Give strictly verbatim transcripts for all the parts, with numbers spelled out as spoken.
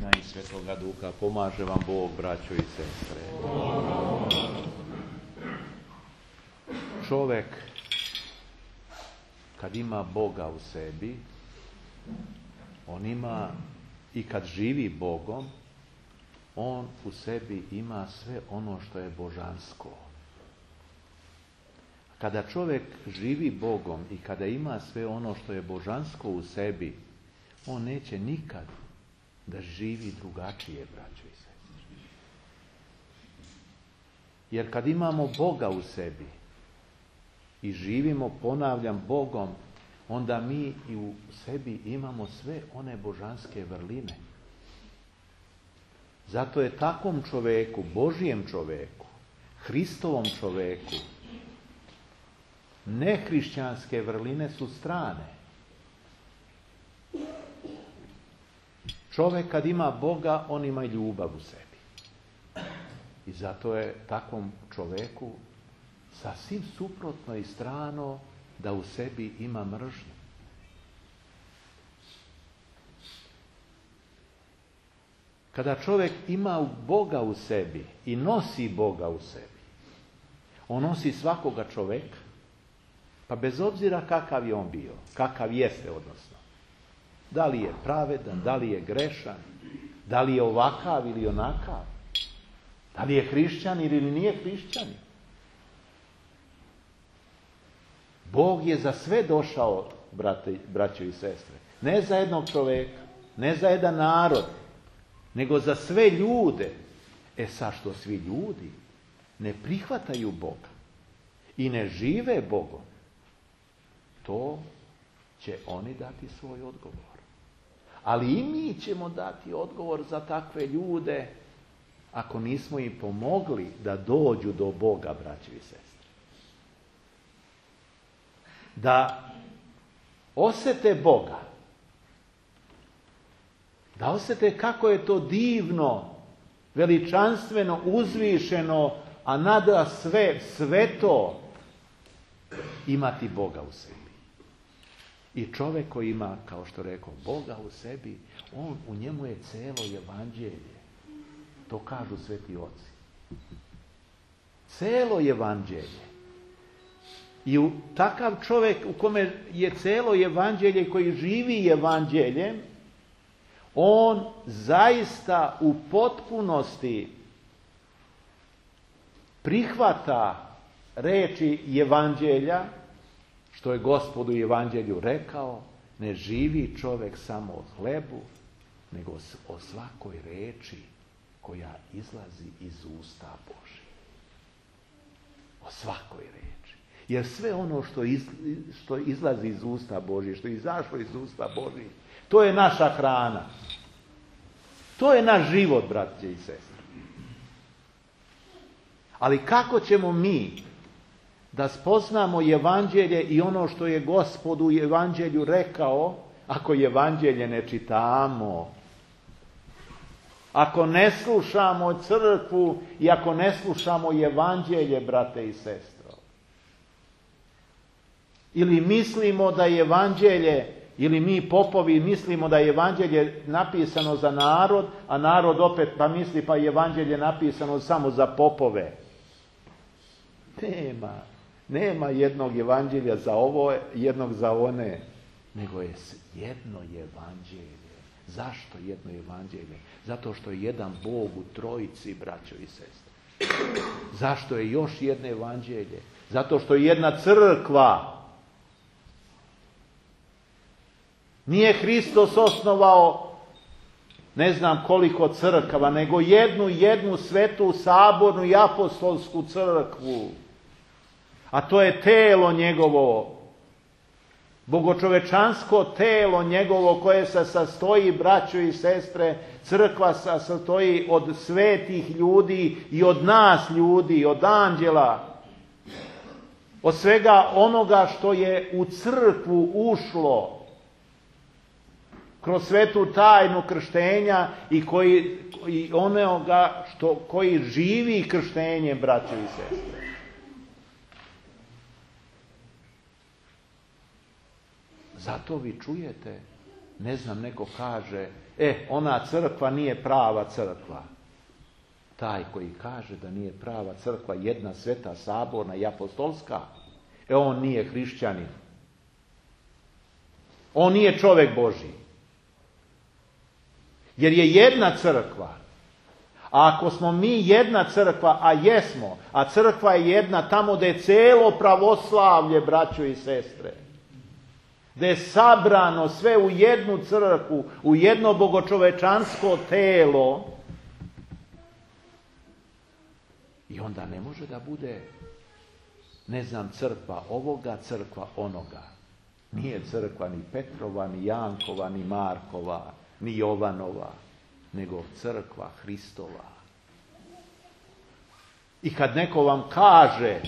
Sina i Svetoga Duha. Pomaže vam Bog, braćo i sestre. Čovek, kad ima Boga u sebi, on ima, i kad živi Bogom, on u sebi ima sve ono što je božansko. Kada čovjek živi Bogom i kada ima sve ono što je božansko u sebi, on neće nikad da živi drugačije, braćo i sestre. Jer kad imamo Boga u sebi i živimo, ponavljam, Bogom, onda mi i u sebi imamo sve one božanske vrline. Zato je takvom čoveku, Božijem čoveku, Hristovom čoveku, nehrišćanske vrline su strane. Čovjek kad ima Boga, on ima ljubav u sebi. I zato je takvom čoveku sasvim suprotno i strano da u sebi ima mržnju. Kada čovjek ima Boga u sebi i nosi Boga u sebi, on nosi svakoga čoveka, pa bez obzira kakav je on bio, kakav jeste odnosno. Da li je pravedan, da li je grešan, da li je ovakav ili onakav, da li je hrišćan ili nije hrišćan. Bog je za sve došao, brate, braćo i sestre. Ne za jednog čoveka, ne za jedan narod, nego za sve ljude. E sad što svi ljudi ne prihvataju Boga i ne žive Bogom, to će oni dati svoj odgovor. Ali i mi ćemo dati odgovor za takve ljude ako nismo im pomogli da dođu do Boga, braćo i sestre. Da osjete Boga, da osjete kako je to divno, veličanstveno, uzvišeno, a nada sve sveto imati Boga u sebi. I čovjek koji ima, kao što rekao, Boga u sebi, on, u njemu je celo evanđelje. To kažu sveti oci. Celo evanđelje. I u takav čovjek u kome je celo evanđelje, koji živi evanđeljem, on zaista u potpunosti prihvata reči evanđelja, što je Gospod u evanđelju rekao, ne živi čovjek samo od hlebu, nego o svakoj reči koja izlazi iz usta Božih. O svakoj reči. Jer sve ono što, iz, što izlazi iz usta Božih, što je izašlo iz usta Božih, to je naša hrana. To je naš život, braće i sestre. Ali kako ćemo mi da spoznamo evanđelje i ono što je Gospod u evanđelju rekao, ako evanđelje ne čitamo, ako ne slušamo crkvu i ako ne slušamo evanđelje, brate i sestro? Ili mislimo da je evanđelje, ili mi popovi mislimo da je evanđelje napisano za narod, a narod opet pa misli pa je evanđelje napisano samo za popove. Nema. Nema jednog evanđelja za ovo, jednog za one, nego je jedno evanđelje. Zašto jedno evanđelje? Zato što je jedan Bog u trojici, braćo i sestre. Zašto je još jedno evanđelje? Zato što je jedna crkva. Nije Hristos osnovao ne znam koliko crkava, nego jednu, jednu svetu, sabornu i apostolsku crkvu. A to je telo njegovo, bogočovečansko telo njegovo, koje se sastoji, braćo i sestre, crkva se sastoji od svetih ljudi i od nas ljudi, od anđela, od svega onoga što je u crkvu ušlo kroz svetu tajnu krštenja i koji i onoga što koji živi krštenjem, braćo i sestre. Zato vi čujete Ne znam, neko kaže, e, ona crkva nije prava crkva. Taj koji kaže da nije prava crkva, jedna sveta, saborna i apostolska, e, on nije hrišćanin. On nije čovjek Božji. Jer je jedna crkva. A ako smo mi jedna crkva, a jesmo, a crkva je jedna tamo gdje je cijelo pravoslavlje, braćo i sestre, gdje je sabrano sve u jednu crkvu, u jedno bogočovečansko telo, i onda ne može da bude, ne znam, crkva ovoga, crkva onoga. Nije crkva ni Petrova, ni Jankova, ni Markova, ni Jovanova, nego crkva Hristova. I kad neko vam kaže,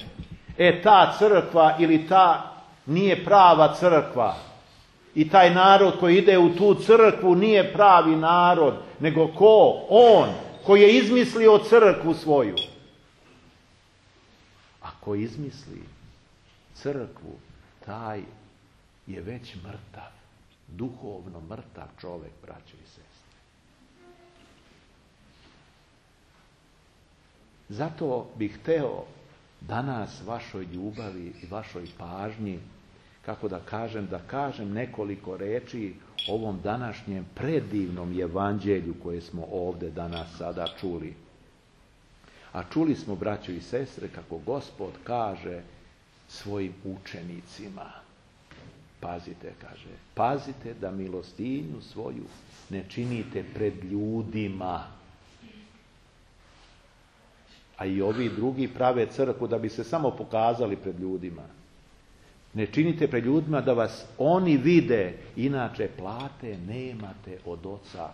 e, ta crkva ili ta nije prava crkva, i taj narod koji ide u tu crkvu nije pravi narod, nego ko? On, koji je izmislio crkvu svoju. Ako izmisli crkvu, taj je već mrtav, duhovno mrtav čovjek, braćo i sestre. Zato bih hteo danas vašoj ljubavi i vašoj pažnji, kako da kažem, da kažem nekoliko reči o ovom današnjem predivnom evanđelju koje smo ovdje danas sada čuli. A čuli smo, braćo i sestre, kako Gospod kaže svojim učenicima. Pazite, kaže, pazite da milostinju svoju ne činite pred ljudima. A i ovi drugi prave crkvu da bi se samo pokazali pred ljudima. Ne činite pred ljudima da vas oni vide, inače plate nemate od Oca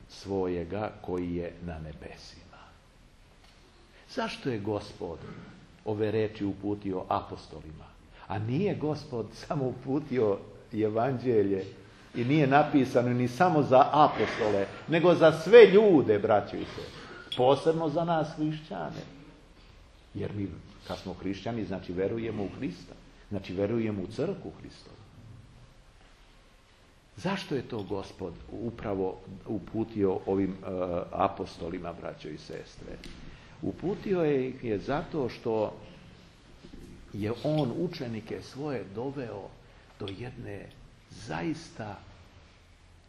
svojega koji je na nebesima. Zašto je Gospod ove reči uputio apostolima? A nije Gospod samo uputio evanđelje i nije napisano ni samo za apostole, nego za sve ljude, braćo i sestre. Posebno za nas hrišćane. Jer mi, kad smo hrišćani, znači verujemo u Hrista. Znači verujemo u crkvu Hristovu. Zašto je to Gospod upravo uputio ovim uh, apostolima, braćo i sestre? Uputio je ih je zato što je on učenike svoje doveo do jedne zaista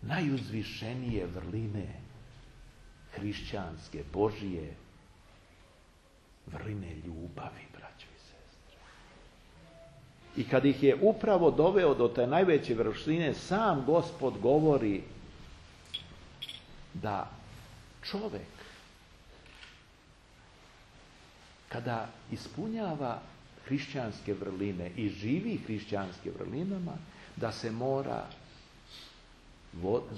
najuzvišenije vrline hrišćanske, Božije, vrline ljubavi, braćo i sestre. I kad ih je upravo doveo do te najveće vrline, sam Gospod govori da čovjek, kada ispunjava hrišćanske vrline i živi hrišćanske vrlinama, da se mora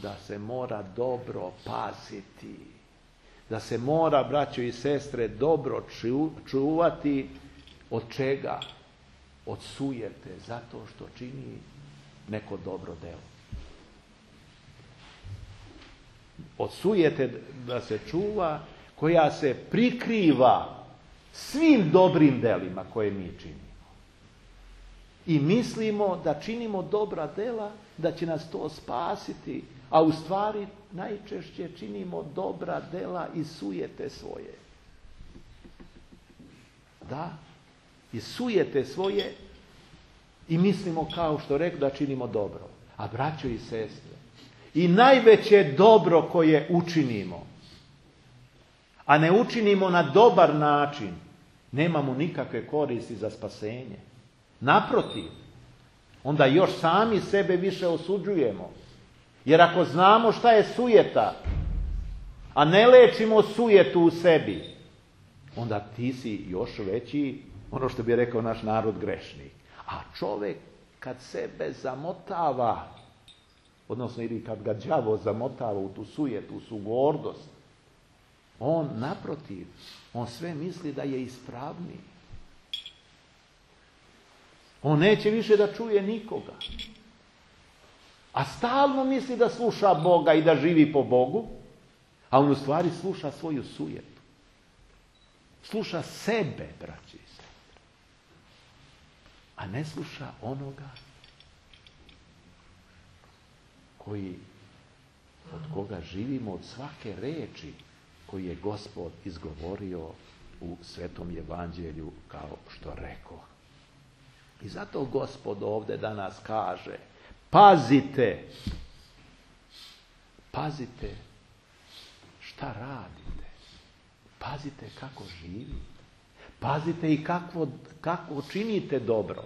da se mora dobro paziti, da se mora, braćo i sestre, dobro čuvati od čega? Od sujete, zato što čini neko dobro delo. Od sujete da se čuva, koja se prikriva svim dobrim delima koje mi činimo. I mislimo da činimo dobra dela, da će nas to spasiti, a u stvari najčešće činimo dobra dela i sujete svoje. Da, i sujete svoje i mislimo, kao što rekao, da činimo dobro. A braćo i sestre, i najveće dobro koje učinimo, a ne učinimo na dobar način, nemamo nikakve koristi za spasenje. Naprotiv, onda još sami sebe više osuđujemo. Jer ako znamo šta je sujeta, a ne lečimo sujetu u sebi, onda ti si još veći, ono što bi rekao naš narod, grešnik. A čovjek kad sebe zamotava, odnosno ili kad ga đavo zamotava u tu sujetu, u tu gordost, on naprotiv, on sve misli da je ispravniji. On neće više da čuje nikoga. A stalno misli da sluša Boga i da živi po Bogu, a on u stvari sluša svoju sujetu. Sluša sebe, braći i sestre. A ne sluša onoga koji, od koga živimo od svake reči koju je Gospod izgovorio u Svetom Evanđelju, kao što rekao. I zato Gospod ovdje danas kaže, pazite, pazite šta radite, pazite kako živite, pazite i kako, kako činite dobro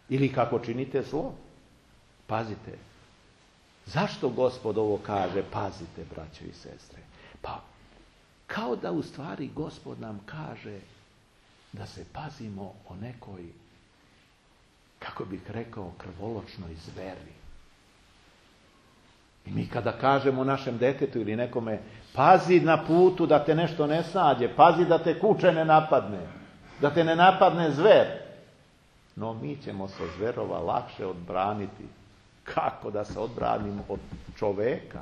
ili kako činite zlo. Pazite. Zašto Gospod ovo kaže, pazite, braćo i sestre? Pa, kao da u stvari Gospod nam kaže da se pazimo o nekoj, kako bih rekao, krvoločnoj zveri. I mi kada kažemo našem detetu ili nekome, pazi na putu da te nešto ne snađe, pazi da te kuče ne napadne, da te ne napadne zver. No mi ćemo se zverova lakše odbraniti. Kako da se odbranim od čoveka?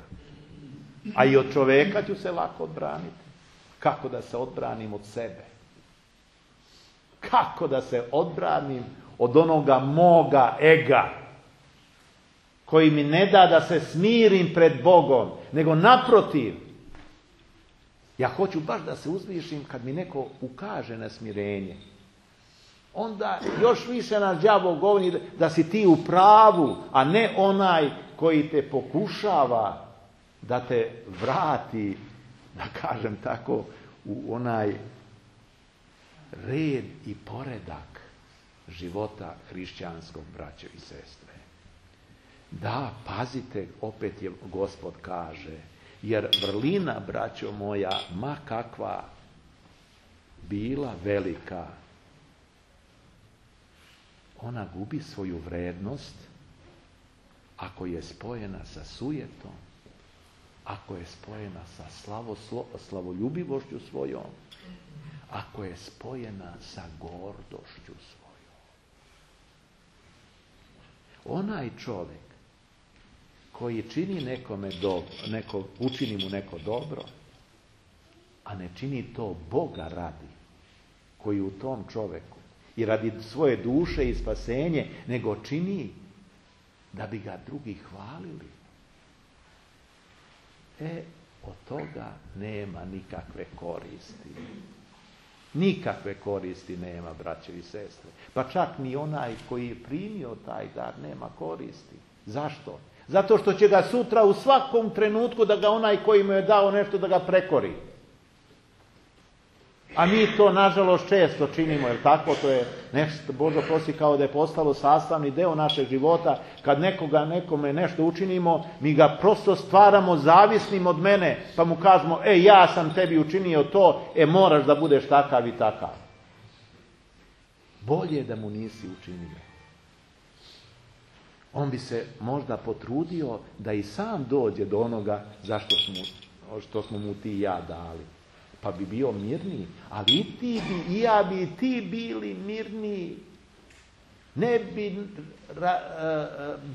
A i od čoveka ću se lako odbraniti. Kako da se odbranim od sebe? Kako da se odbranim od onoga moga ega, koji mi ne da da se smirim pred Bogom, nego naprotiv. Ja hoću baš da se uzvišim kad mi neko ukaže na smirenje. Onda još više nas đavo govori da si ti u pravu, a ne onaj koji te pokušava da te vrati, da kažem tako, u onaj red i poredak života hrišćanskog, braćo i sestre. Da, pazite, opet je Gospod kaže, jer vrlina, braćo moja, ma kakva bila velika, ona gubi svoju vrednost ako je spojena sa sujetom, ako je spojena sa slavoslo, slavoljubivošću svojom, ako je spojena sa gordošću svojom. Onaj čovjek koji čini nekome dobro, neko, učini mu neko dobro, a ne čini to Boga radi, koji u tom čovjeku i radi svoje duše i spasenje, nego čini da bi ga drugi hvalili. E, od toga nema nikakve koristi. Nikakve koristi nema, braće i sestre. Pa čak ni onaj koji je primio taj dar nema koristi. Zašto? Zato što će ga sutra u svakom trenutku da ga onaj koji mu je dao nešto da ga prekori. A mi to, nažalost, često činimo, jer tako to je nešto, Bože prosi, kao da je postalo sastavni deo našeg života. Kad nekoga, nekome nešto učinimo, mi ga prosto stvaramo zavisnim od mene, pa mu kažemo, e, ja sam tebi učinio to, e, moraš da budeš takav i takav. Bolje da mu nisi učinio. On bi se možda potrudio da i sam dođe do onoga zašto smo, što smo mu ti i ja dali. Pa bi bio mirniji, ali i ti bi, i ja bi, i ti bili mirniji. Ne bi ra,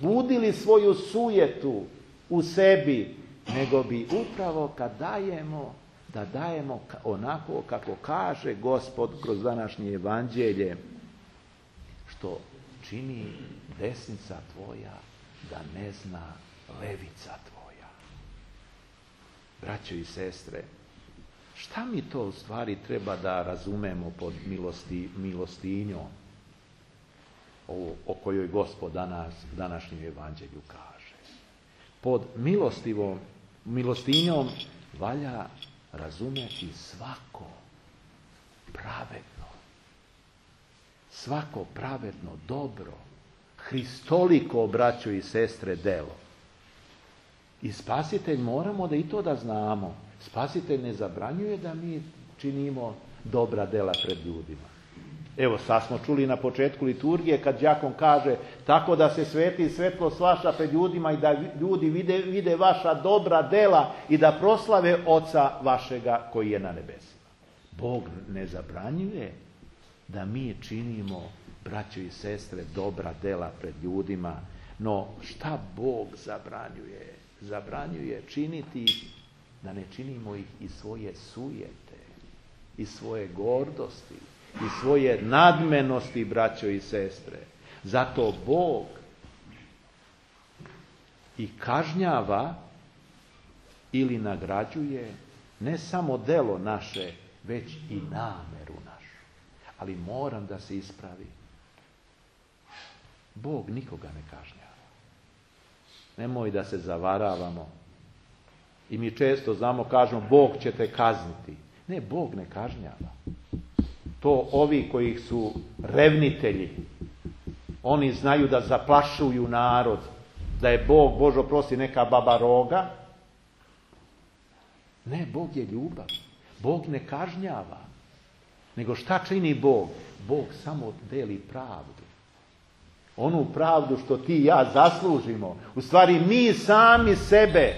budili svoju sujetu u sebi, nego bi upravo kad dajemo, da dajemo onako kako kaže Gospod kroz današnje evanđelje, što čini desnica tvoja da ne zna levica tvoja. Braćo i sestre, šta mi to u stvari treba da razumemo pod milosti, milostinjom, o, o kojoj Gospod danas, današnjem evanđelju kaže? Pod milostivom, milostinjom valja razumjeti svako pravedno, svako pravedno dobro, hristoliko, braćo i sestre, delo. I spasitelj, moramo da i to da znamo, spasitelj ne zabranjuje da mi činimo dobra dela pred ljudima. Evo, sad smo čuli na početku liturgije kad đakon kaže tako da se sveti svetlost vaša pred ljudima i da ljudi vide, vide vaša dobra dela i da proslave Oca vašega koji je na nebesima. Bog ne zabranjuje da mi činimo, braćo i sestre, dobra dela pred ljudima, no šta Bog zabranjuje? Zabranjuje činiti ih, da ne činimo ih iz svoje sujete, iz svoje gordosti, iz svoje nadmenosti, braćo i sestre. Zato Bog i kažnjava ili nagrađuje ne samo delo naše, već i nameru našu. Ali moram da se ispravi. Bog nikoga ne kažnjava. Nemoj da se zavaravamo. I mi često znamo, kažemo, Bog će te kazniti. Ne, Bog ne kažnjava. To ovi koji su revnitelji, oni znaju da zaplašuju narod, da je Bog, Bože oprosti, neka baba roga. Ne, Bog je ljubav. Bog ne kažnjava. Nego šta čini Bog? Bog samo deli pravdu. Onu pravdu što ti i ja zaslužimo. U stvari mi sami sebe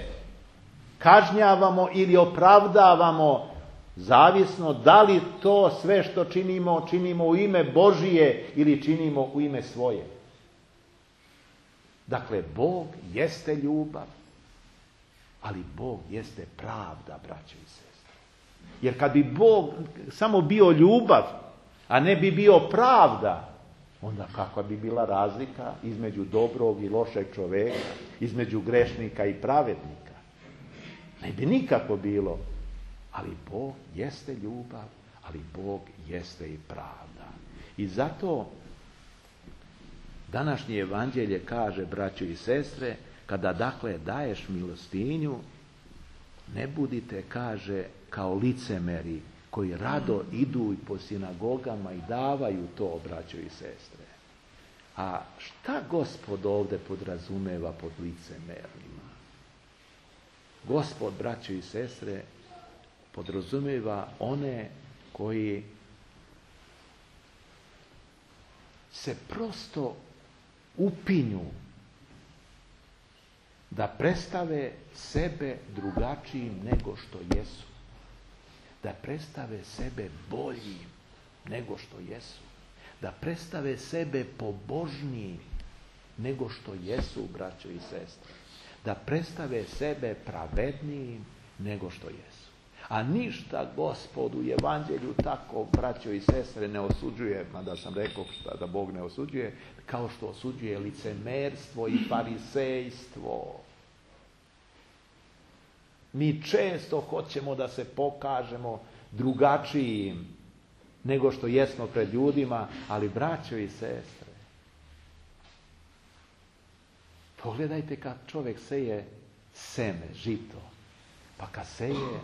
kažnjavamo ili opravdavamo, zavisno da li to sve što činimo, činimo u ime Božije ili činimo u ime svoje. Dakle, Bog jeste ljubav, ali Bog jeste pravda, braćo i sestre. Jer kad bi Bog samo bio ljubav, a ne bi bio pravda, onda kakva bi bila razlika između dobrog i lošeg čoveka, između grešnika i pravednika? Ne bi nikako bilo. Ali Bog jeste ljubav, ali Bog jeste i pravda. I zato današnje evanđelje kaže, braćo i sestre, kada dakle daješ milostinju, ne budite, kaže, kao licemeri koji rado idu i po sinagogama i davaju to, braćo i sestre. A šta Gospod ovdje podrazumeva pod licemerima? Gospod, braćo i sestre, podrazumeva one koji se prosto upinju da predstave sebe drugačijim nego što jesu. Da predstave sebe boljim nego što jesu. Da predstave sebe pobožnijim nego što jesu, braćo i sestre. Da predstave sebe pravednijim nego što jesu. A ništa Gospod u evanđelju tako, braćo i sestre, ne osuđuje, mada sam rekao šta da Bog ne osuđuje, kao što osuđuje licemerstvo i farisejstvo. Mi često hoćemo da se pokažemo drugačijim nego što jesmo pred ljudima, ali braćo i sestre, pogledajte kad čovjek seje seme, žito, pa kad seje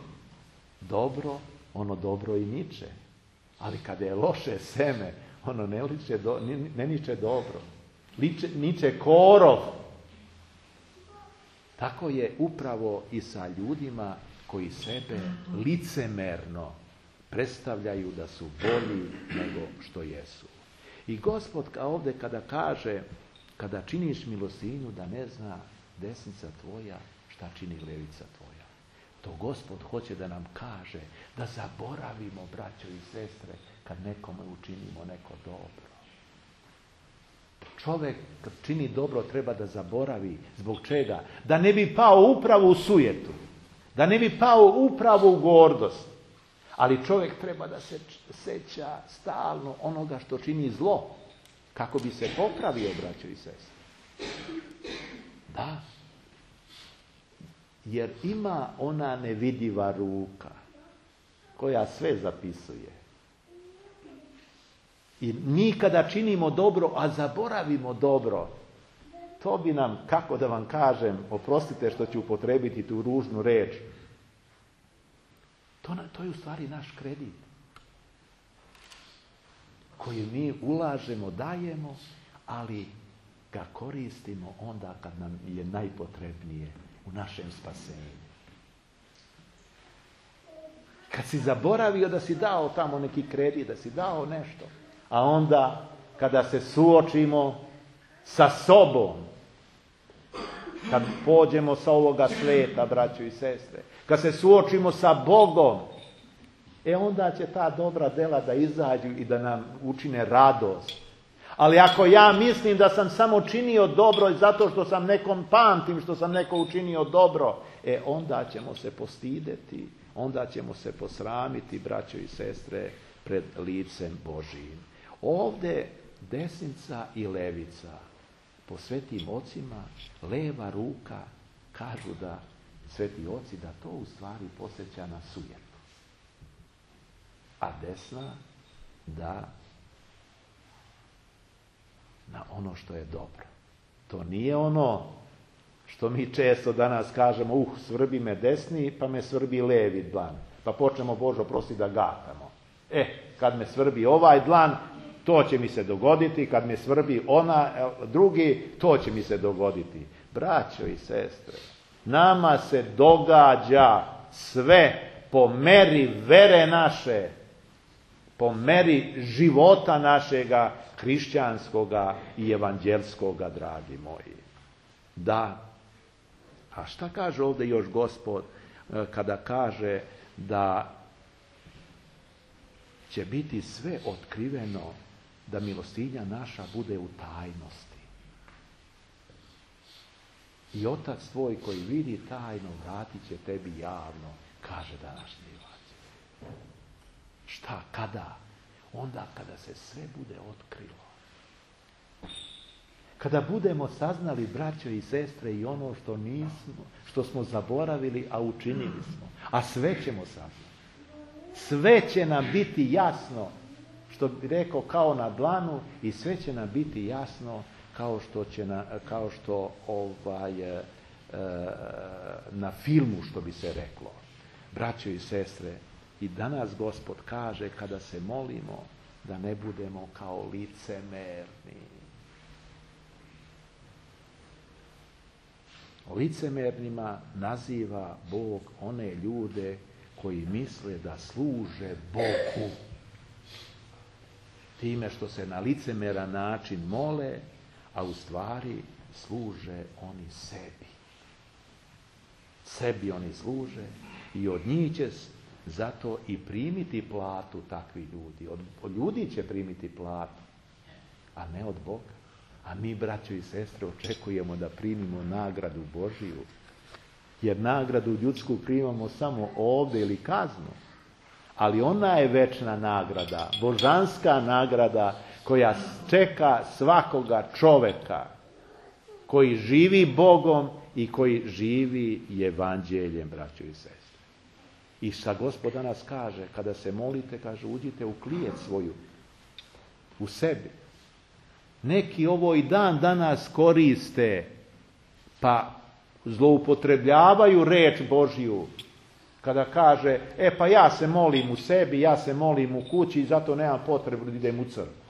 dobro, ono dobro i niče. Ali kada je loše seme, ono ne, liče do, ne niče dobro. Liče, niče korov. Tako je upravo i sa ljudima koji sebe licemerno predstavljaju da su bolji nego što jesu. I Gospod ovdje kada kaže, kada činiš milostinju, da ne zna desnica tvoja šta čini levica tvoja. To Gospod hoće da nam kaže da zaboravimo, braćo i sestre, kad nekome učinimo neko dobro. Čovjek kad čini dobro treba da zaboravi. Zbog čega? Da ne bi pao upravo u sujetu. Da ne bi pao upravo u gordost. Ali čovjek treba da se seća stalno onoga što čini zlo. Kako bi se popravio, braćo i sestre. Da. Jer ima ona nevidiva ruka koja sve zapisuje. I mi kada činimo dobro, a zaboravimo dobro, to bi nam, kako da vam kažem, oprostite što ću upotrebiti tu ružnu reč, to, to je u stvari naš kredit koji mi ulažemo, dajemo, ali ga koristimo onda kad nam je najpotrebnije u našem spasenju. Kad si zaboravio da si dao tamo neki kredit, da si dao nešto, a onda kada se suočimo sa sobom, kad pođemo sa ovoga sveta, braćo i sestre, kad se suočimo sa Bogom, e onda će ta dobra dela da izađu i da nam učine radost. Ali ako ja mislim da sam samo činio dobro zato što sam nekom pamtim, što sam neko učinio dobro, e onda ćemo se postideti, onda ćemo se posramiti, braćo i sestre, pred licem Božijim. Ovdje desnica i levica po svetim ocima, leva ruka, kažu da sveti oci, da to u stvari podsjeća na sujetu. A desna da na ono što je dobro. To nije ono što mi često danas kažemo, uh, svrbi me desni, pa me svrbi levi dlan. Pa počnemo, Bože oprosti, da gatamo. E, kad me svrbi ovaj dlan, to će mi se dogoditi, kad me svrbi ona, drugi, to će mi se dogoditi. Braćo i sestre, nama se događa sve po meri vere naše, po meri života našega hrišćanskoga i evanđelskoga, dragi moji. Da. A šta kaže ovdje još Gospod kada kaže da će biti sve otkriveno, da milostinja naša bude u tajnosti. I Otac tvoj koji vidi tajno, vratit će tebi javno, kaže današnji evanđelje. Šta, kada? Onda kada se sve bude otkrilo. Kada budemo saznali, braćo i sestre, i ono što nismo, što smo zaboravili, a učinili smo. A sve ćemo saznati. Sve će nam biti jasno, što bi rekao, kao na dlanu, i sve će nam biti jasno kao što će na, kao što ovaj e, na filmu, što bi se reklo. Braćo i sestre, i danas Gospod kaže, kada se molimo, da ne budemo kao licemerni. Licemernima naziva Bog one ljude koji misle da služe Bogu time što se na licemeran način mole, a u stvari služe oni sebi. Sebi oni služe i od njih će zato i primiti platu takvi ljudi. Od, od ljudi će primiti platu, a ne od Boga. A mi, braćo i sestre, očekujemo da primimo nagradu Božiju. Jer nagradu ljudsku primamo samo ovdje ili kaznu. Ali ona je večna nagrada, božanska nagrada koja čeka svakoga čoveka koji živi Bogom i koji živi evanđeljem, braćo i sestre. I šta Gospod danas kaže, kada se molite, kaže, uđite u klijet svoju, u sebi. Neki ovo i dan danas koriste, pa zloupotrebljavaju reč Božju, kada kaže, e pa ja se molim u sebi, ja se molim u kući i zato nemam potrebu da idem u crkvu.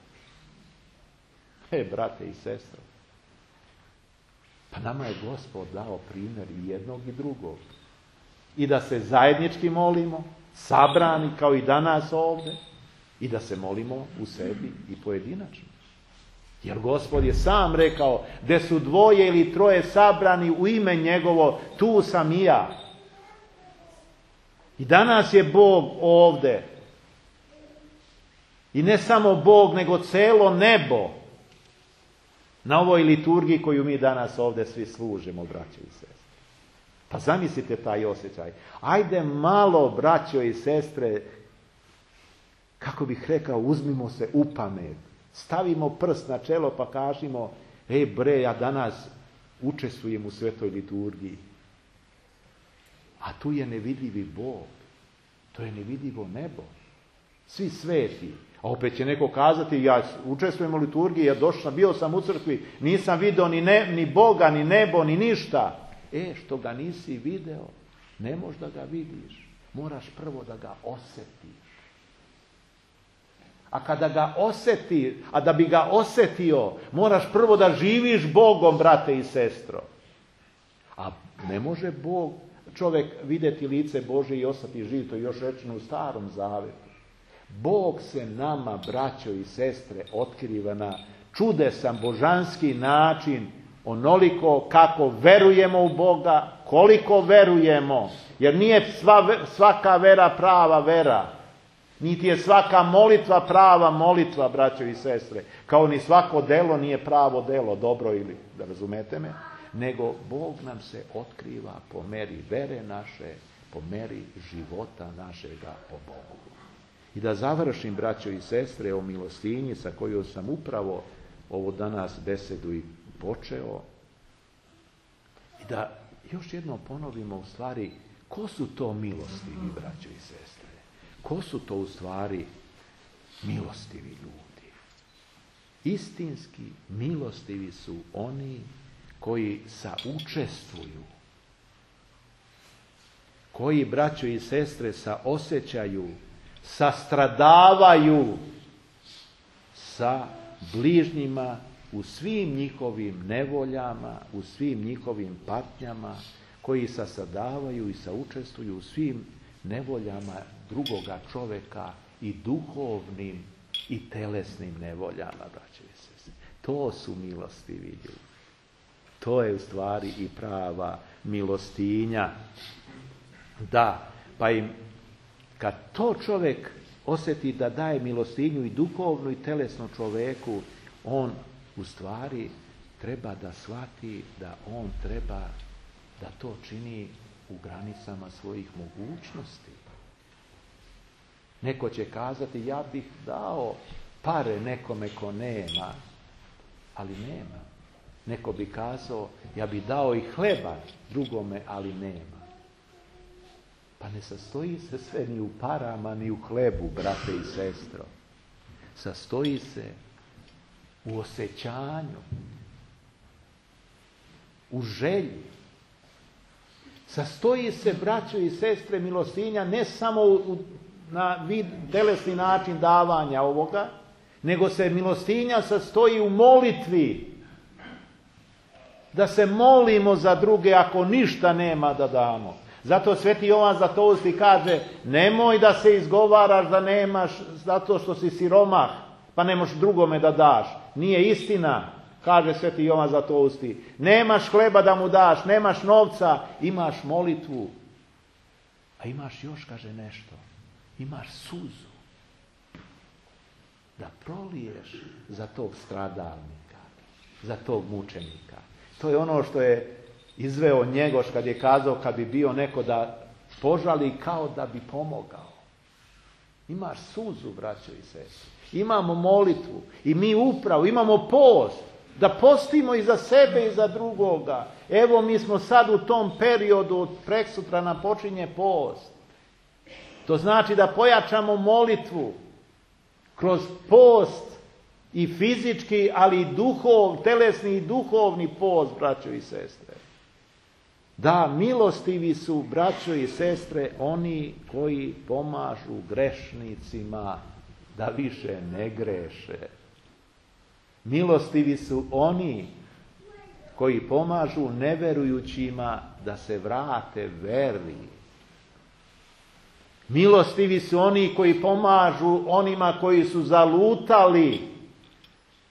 E, brate i sestre, pa nama je Gospod dao primjer i jednog i drugog. I da se zajednički molimo, sabrani kao i danas ovdje, i da se molimo u sebi i pojedinačno. Jer Gospod je sam rekao, gdje su dvoje ili troje sabrani u ime njegovo, tu sam i ja. I danas je Bog ovdje. I ne samo Bog, nego celo nebo na ovoj liturgiji koju mi danas ovdje svi služimo, braćo i sestre. Pa zamislite taj osjećaj. Ajde malo, braćo i sestre, kako bih rekao, uzmimo se u pamet. Stavimo prst na čelo pa kažemo, ej bre, ja danas učestvujem u svetoj liturgiji. A tu je nevidljivi Bog. To je nevidljivo nebo. Svi sveti. A opet će neko kazati, ja učestvujem u liturgiji, ja došao, bio sam u crkvi, nisam vidio ni, ne, ni Boga, ni nebo, ni ništa. E, što ga nisi video, ne možeš da ga vidiš. Moraš prvo da ga osjetiš. A kada ga osjeti, a da bi ga osjetio, moraš prvo da živiš Bogom, brate i sestro. A ne može Bog, čovjek vidjeti lice Božje i ostati živ, to je još rečeno u Starom Zavetu. Bog se nama, braćo i sestre, otkriva na čudesan božanski način, onoliko kako verujemo u Boga, koliko verujemo. Jer nije sva, svaka vera prava vera. Niti je svaka molitva prava molitva, braćo i sestre. Kao ni svako delo nije pravo delo, dobro ili, da razumete me. Nego Bog nam se otkriva po meri vere naše, po meri života našega o Bogu. I da završim, braćo i sestre, o milostinji sa kojom sam upravo ovu danas besedu i počeo. I da još jednom ponovimo u stvari, ko su to milostivi, braćo i sestre? Ko su to u stvari milostivi ljudi? Istinski milostivi su oni koji saučestvuju, koji, braćo i sestre, saosjećaju, sastradavaju sa bližnjima u svim njihovim nevoljama, u svim njihovim patnjama, koji sastradavaju i saučestvuju u svim nevoljama drugoga čovjeka i duhovnim i telesnim nevoljama, braćo i sestre. To su milostivi ljudi. To je u stvari i prava milostinja. Da, pa im, kad to čovjek osjeti da daje milostinju i duhovnu i telesnu čovjeku, on u stvari treba da shvati da on treba da to čini u granicama svojih mogućnosti. Neko će kazati, ja bih dao pare nekome ko nema, ali nema. Neko bi kazao, ja bih dao i hleba drugome, ali nema. Pa ne sastoji se sve ni u parama, ni u hlebu, brate i sestro. Sastoji se u osjećanju, u želji. Sastoji se, braćo i sestre, milostinja ne samo u, na vid, telesni način davanja ovoga, nego se milostinja sastoji u molitvi. Da se molimo za druge ako ništa nema da damo. Zato Sveti Jovan Zlatousti kaže, nemoj da se izgovaraš da nemaš zato što si siromah, pa ne možeš drugome da daš. Nije istina, kaže Sveti Jovan Zlatousti. Nemaš hleba da mu daš, nemaš novca, imaš molitvu. A imaš još, kaže, nešto. Imaš suzu. Da proliješ za tog stradalnika, za tog mučenika. To je ono što je izveo Njegoš kad je kazao, kad bi bio neko da požali kao da bi pomogao. Imaš suzu, braćo i sestre. Imamo molitvu i mi upravo imamo post. Da postimo i za sebe i za drugoga. Evo mi smo sad u tom periodu, preksutra nam počinje post. To znači da pojačamo molitvu kroz post i fizički, ali i duhov, telesni i duhovni post, braćo i sestre. Da, milostivi su, braćo i sestre, oni koji pomažu grešnicima da više ne greše. Milostivi su oni koji pomažu neverujućima da se vrate veri. Milostivi su oni koji pomažu onima koji su zalutali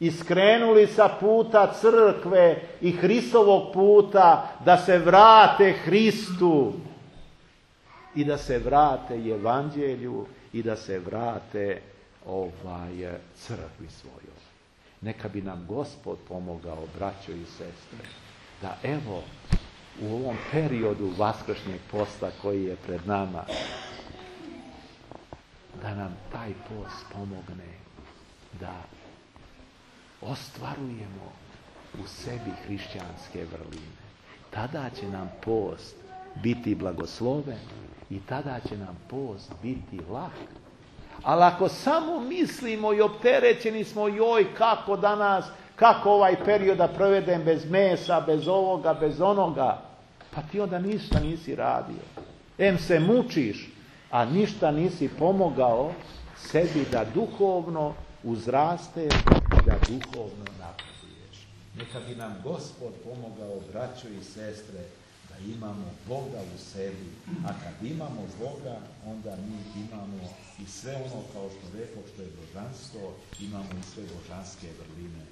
i skrenuli sa puta crkve i Hristovog puta da se vrate Hristu i da se vrate Evanđelju i da se vrate ovaj crkvi svojoj. Neka bi nam Gospod pomogao, braćo i sestre, da evo u ovom periodu vaskršnjeg posta koji je pred nama, da nam taj post pomogne da ostvarujemo u sebi hrišćanske vrline. Tada će nam post biti blagosloven i tada će nam post biti lak. Ali ako samo mislimo i opterećeni smo, joj kako danas, kako ovaj period da provedem bez mesa, bez ovoga, bez onoga, pa ti onda ništa nisi radio. Em se mučiš, a ništa nisi pomogao sebi da duhovno uzrasteš, da duhovno napreduješ. Neka bi nam Gospod pomogao, braćo i sestre, da imamo Boga u sebi. A kad imamo Boga, onda mi imamo i sve ono, kao što rekao, što je božanstvo, imamo i sve božanske vrline.